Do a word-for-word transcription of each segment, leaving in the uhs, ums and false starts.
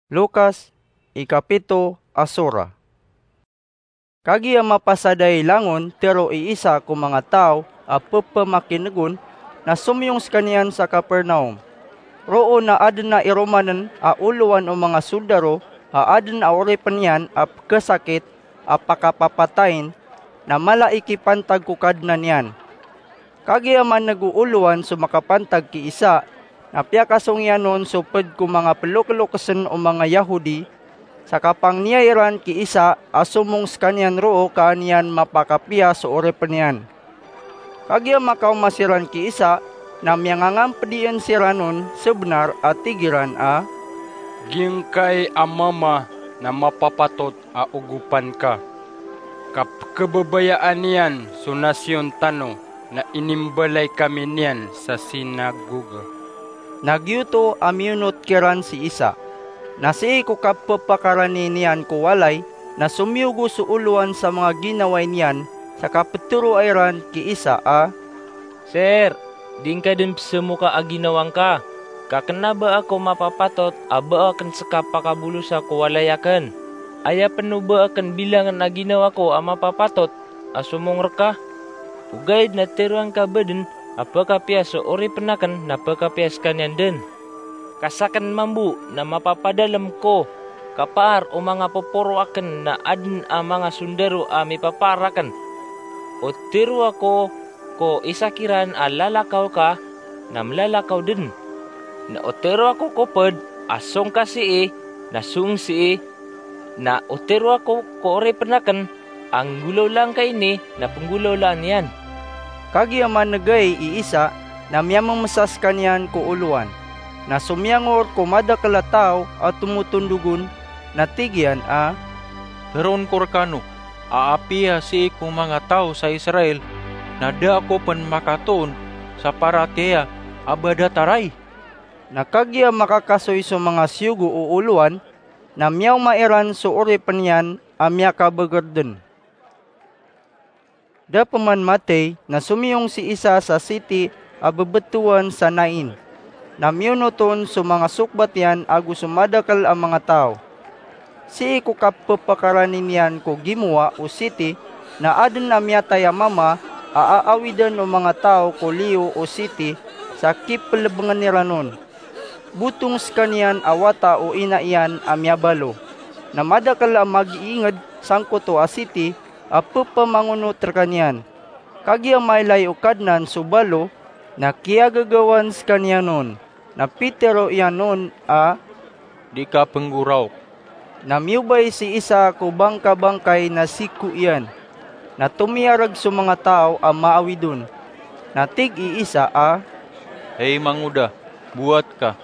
Lukas, ikapito a sura. Kagiya mapasad ay langon tero i isa ko manga taw a pepamakinegon, na somiyong sekaniyan sa Capernaum. Roo na aden a iromanen a olowan o manga soldaro a aden a oripen iyan a pekesakit a pakapapatayin, na mala i kipantag ko kadnan iyan. Kagiya maneg o olowan so makapantag ki isa, na piyakasong iyan on so ped ko manga pelokelokesen o manga Yahudi, sa kapangniya iran ki isa a somong sekaniyan roo ka an iyan mapakapiya so oripen iyan. Kagiya makaoma siran ki isa, na miyangangamped iyan siran on sebenar a tig iran a, "Giyangkai a mama na mapapatot a ogopan ka, ka pekebabayaan iyan so nasiyon tano na inimbalay kami niyan sa sinagoga." Na giyoto a miyonot kiran si isa. Na sii ko kapepakarani niyan ko walay, na somiyogo so olowan sa manga ginaway niyan sa kapetero iran ki isa a, "Sir, di ngka den pesemoka a ginawa ngka, ka kena ba ako mapapatot a ba aken seka pakabolosa ko walay aken. Aya pen o ba aken bilangen a ginawa ko a mapapatot a somong reka? Ogaid na teroa ngka ba den a pekapiya so oripen aken na pekapiya sekaniyan den. Ka saken mambo na mapapadalem ko kapaar o manga poporo aken na aden a manga sondaro a mipapaar aken. O teroa ko ko isa kiran a lalakaw ka, na melalakaw den. Na o teroa ko ko ped a song ka sii, na song sii. Na o teroa ko ko oripen aken a nggolawlaan ka ini, na penggolawlaan iyan." Kagiya maneg ai i isa, na miyamemesa sekaniyan ko olowan. Na somiyangor ko madakel a taw a tomotondog on, na tig iyan a, "Teroon ko rekano a apiya sii ko manga taw sa Israel na da ako pen makatoon sa paratiyaya a ba datar ai." Na kagiya makakasoy so manga siyogo o olowan, na miyaoma iran so oripen iyan a miyakabeger den. Da peman matey, na somiyong si isa sa siti a bebetowan sa Nain. Na miyonot on so manga sokbat iyan ago so madakel a manga taw. Sii ko kapepakarani niyan ko gimowa o siti, na aden a miyatay a mama a aawidan o manga taw ko liyo o siti sa kipelebengen iran on. Botong sekaniyan a wata o ina iyan a miyabalo. Na madakel a magiinged sangkoto a siti a pepamangonot rekaniyan. Kagiya mailay o Kadnan so balo, na kiyagagawan sekaniyan on. Na pitero iyan on a, "Di ka penggoraok." Na miyobay si isa ko bangkabangkay na siko iyan. Na tomiyareg so manga taw a maawid on. Na tig i isa a, "Hay mangoda, bowat ka."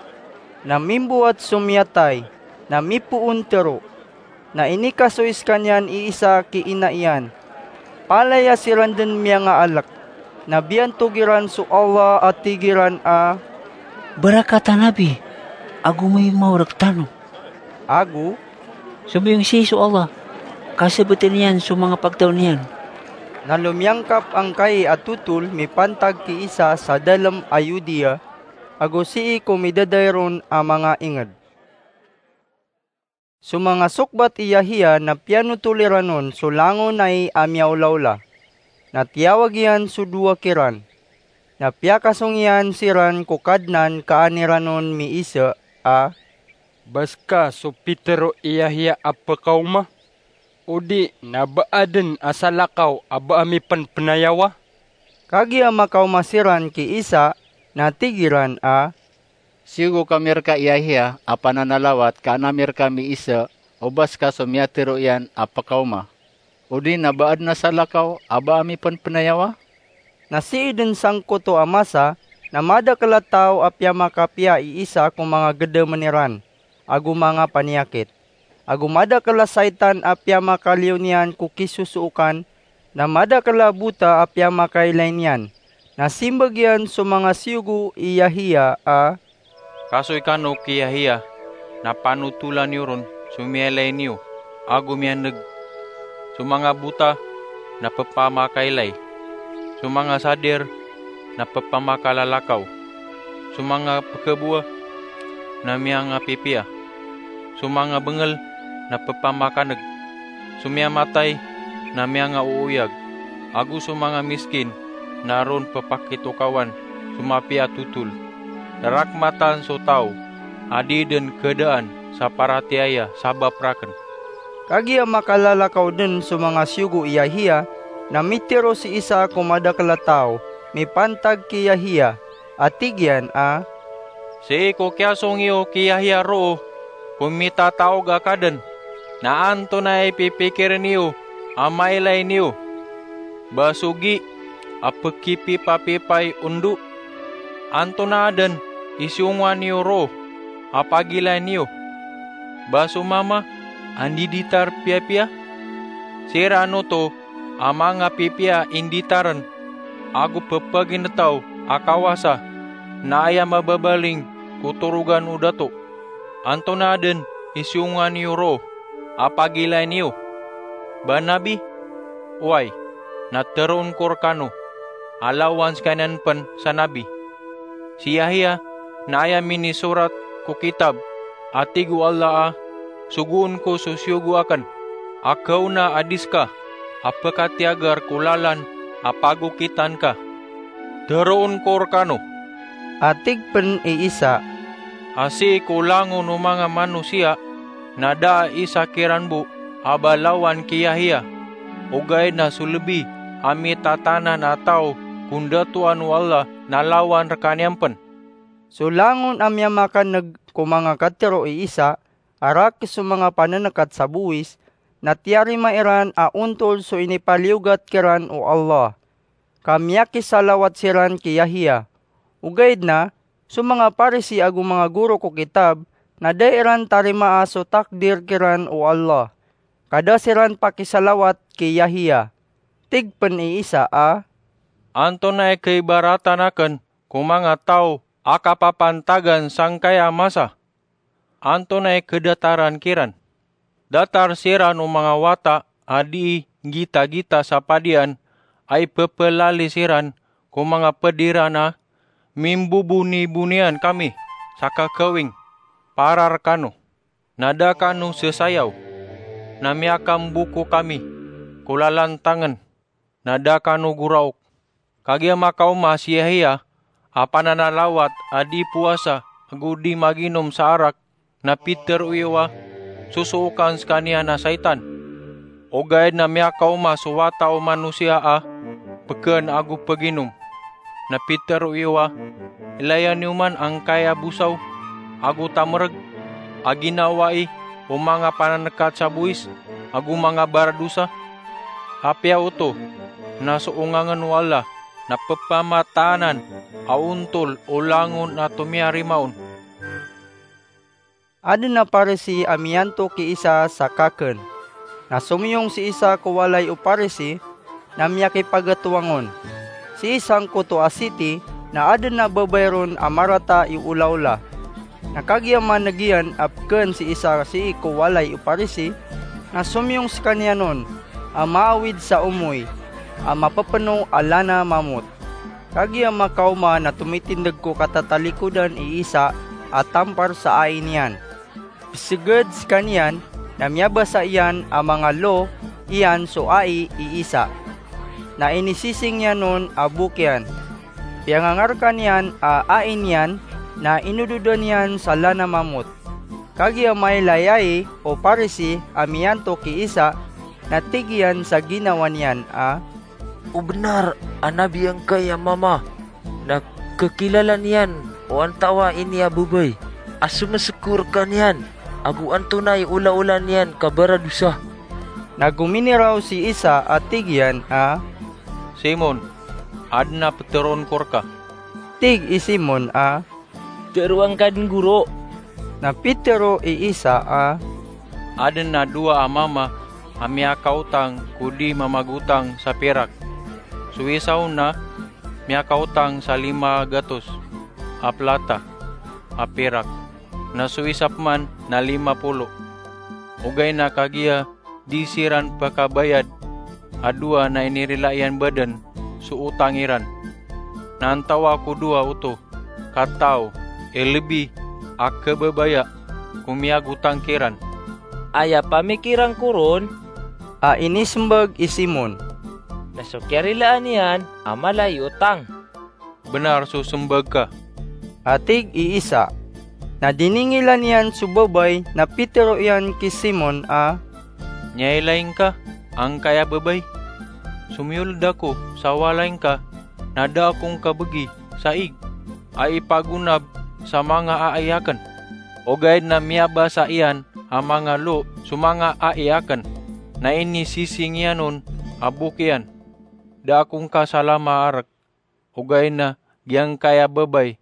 Na mimbowat so miyatay, na mipoon tero. Na inikasoy sekaniyan i isa ki ina iyan. Palaya siran den miyangaalek, na biyantog iran so Allah a tig iran a, "Barakatan abi, ago maimo rektano." Ago, "Somiyong sii so Allah, ka sebeten iyan so manga pagtaw niyan." Na lomiyangkap angkai a totol mipantag ki isa sa dalem a Yudea, ago sii ko midadair on a manga inged. So manga sokbat i Yahiya na piyanotol iran on so langon ai a miyaolaola. Na tiyawag iyan so dowa kiran. Na piyakasong iyan siran ko Kadnan ka an iran on miisa a, "Ba seka so pitero i Yahiya a pekaoma? Odi na ba aden a salakaw a ba a mipenpenayawa?" Kagiya makaoma siran ki isa, na tig iran a, "Siyogo kami reka i Yahiya a pananalawat ka an ami reka miisa o ba seka so miyatero iyan a pekaoma, odi na ba aden a salakaw a ba a mipenpenayawa?" Na sii den sangkoto a masa, na madakel a taw a piyamakapiya i isa ko manga gedamen iran ago manga paniyakit. Ago madakel a saitan a piyamakaliyo niyan ko kisosookan, na madakel a bota a piyamakailay niyan. Na simbag iyan so manga siyogo i Yahiya a, "Kasoy kano ki Yahiya, na panotolan iyo ron so miyailay niyo ago miyaneg. So manga bota na pepamakailay, so manga sadir na pepamakalalakaw, so manga pekabowa na miyangapipiya, so manga bengel na pepamakaneg, so miyamatay na miyangaooyag, ago so manga miskin na ron pepakitokawan so mapiya a totol. Rarakmatan so taw a dii den kedaan sa paratiyaya sabap raken." Kagiya makalalakaw den so manga siyogo i Yahiya, na mitero si Isa ko madakel a taw mipantag ki Yahiya, a tig iyan a, "Sii ko kiyasong iyo ki Yahiya roo ko mitataog a kaden, na antonaa i pipikiren iyo a mailay niyo? Ba so gi a pekipipapipay ondo? Antonaa den i siyongowan iyo roo a pagilay niyo? Ba so mama a ndiditar piyapiya? Siran oto a manga pipiya a inditaren ago pepaginetaw a kawasa, na aya mababaling ko torogan o dato. Antonaa den i siyongowan iyo roo a pagilay niyo? Ba nabi? Oway, na teroon ko rekano a lawan sekaniyan pen sa nabi. Si Yahiya na aya minisorat ko kitab a tig o Allah a, 'Sogoon ko so siyogo aken a kaona a di seka a pekatiyagar ko lalan a pagokitan ka.' Teroon ko rekano," a tig pen i Isa, "a sii ko langon o manga manosiya na da a isa kiran bo a ba lawan ki Yahiya, ogaid na so lebi a mitatanan a taw ko ndatoan o Allah na lawan rekaniyan pen." So langon a miyamakaneg ko manga katero i Isa, a rakes so manga panenekat sa bowis, na tiyarima iran a ontol so inipaliyogat kiran o Allah, ka miyakisalawat siran ki Yahiya. Ogaid na, so manga Parisi ago manga goro ko kitab na da iran tarimaa so takdir kiran o Allah, ka da siran pakisalawat ki Yahiya. Tig pen i Isa a, "Antonaa i kaibaratan aken ko manga taw a kapapantagan sangkaya masa? Antonaa i kedataran kiran? Datar siran o manga wata a dii nggitagita sa padian a ipepelalis iran ko manga ped iran a, 'Mimbobonibonian kami sa kakawing para rekano, na da kano sesayaw, na miyakamboko kami ko lalantangen, na da kano goraok.' Kagiya makaoma si Yahiya a pananalawat a di powasa ago di maginom sa arak, na pitero iyo a sosookan sekaniyan a saitan. Ogaid na miyakaoma so Wata o Manosiya a peken ago peginom, na pitero iyo a, 'Ilaya niyo man angkaya bosaw ago tamereg a ginawai o manga panenekat sa bowis ago manga baradosa.' Apiya oto na so ongangen o Allah na pepamataanan a ontol o langon a tomiyarima on." Aden a Parisi a miyanto ki Isa sa kaken. Na somiyong si Isa ko walay o Parisi, na miyakipagetowangon. Si Isa angkoto a siti, na aden a babay ron a marata i olaola. Na kagiya maneg iyan a peken si Isa sii ko walay o Parisi, na somiyong sekaniyan on a maawid sa omoy a mapepeno a lana mamot. Kagiya makaoma na tomitindeg ko katatalikodan i Isa a tampar sa ai niyan. Peseged sekaniyan na miyabasa iyan a manga lo iyan so ai i Isa. Na inisising iyan on a bok iyan. Piyangangarkan iyan a ai niyan na inododan iyan sa lana mamot. Kagiya mailay ai o Parisi a miyanto ki Isa, na tig iyan sa ginawa niyan a, "O benar a nabi angkaya mama, na kekilala niyan o antawaa ini a babay a someseko rekaniyan ago antonaa i olaola niyan ka baradosa." Na gominiraw si Isa a tig iyan a, "Simon, aden a peteroon ko reka." Tig i Simon a, "Teroa ngka den, Goro." Na pitero i Isa a, "Aden a dowa a mama a miyakaotang ko di mamagotang sa pirak. So isa on na miyakaotang sa lima gatos a plata a pirak, na so isa peman na lima polo. Ogaid na kagiya di siran pekabayad a dowa na inirila iyan baden so otang iran. Na antawaa ko dowa oto ka taw i lebi a kebabaya ko miyagotang kiran. Aya pamikiran ko ron, a inisembag i Simon, na so kiyarilaan iyan a mala i otang. Benar so sembag ka, a tig i isa. Na diningilan iyan so babay na pitero iyan ki Simon a, niyailay ngka angkaya babay? Somiyold ako sa walay ngka na da ako ngka begi sa ig a ipagonab sa manga ai aken, ogaid na miyabasa iyan a manga lo so manga ai aken, na inisising iyan on a bok iyan. Da ako ngka salama a rek, ogaid na giyangkaya babay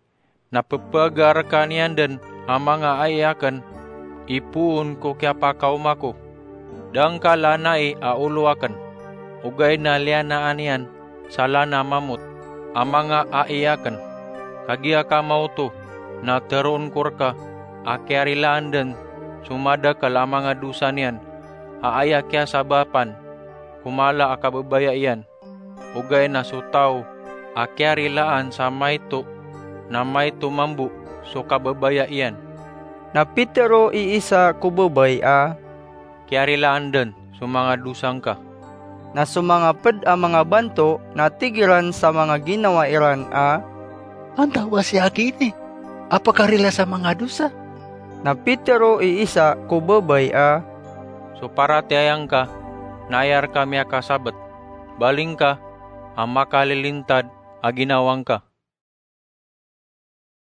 na pepaga rekan iyan den a manga ai aken, ipoon ko kiyapakaoma ko. Da ngka lanai a olo aken, ogaid na liyanaan iyan sa lana mamot a manga ai aken. Kagiya ka maoto na teroon ko reka a kiyarilaan den so madakel a manga dosa niyan a aya kiyasabapan ko mala a kababaya iyan, ogaid na so taw a kiyarilaan sa maito na maito mambo so kababaya iyan. Na pitero i isa ko babay a, kiyarilaan den so manga dosa ngka. Na so manga ped a manga banto na tig iran sa manga ginawa iran a, antawaa si aki ini a pakarila sa manga dosa? Na pitero i isa ko babay a, so paratiyaya ngka na aya reka miyakasabet, baling ka a makalilintad a ginawa ngka.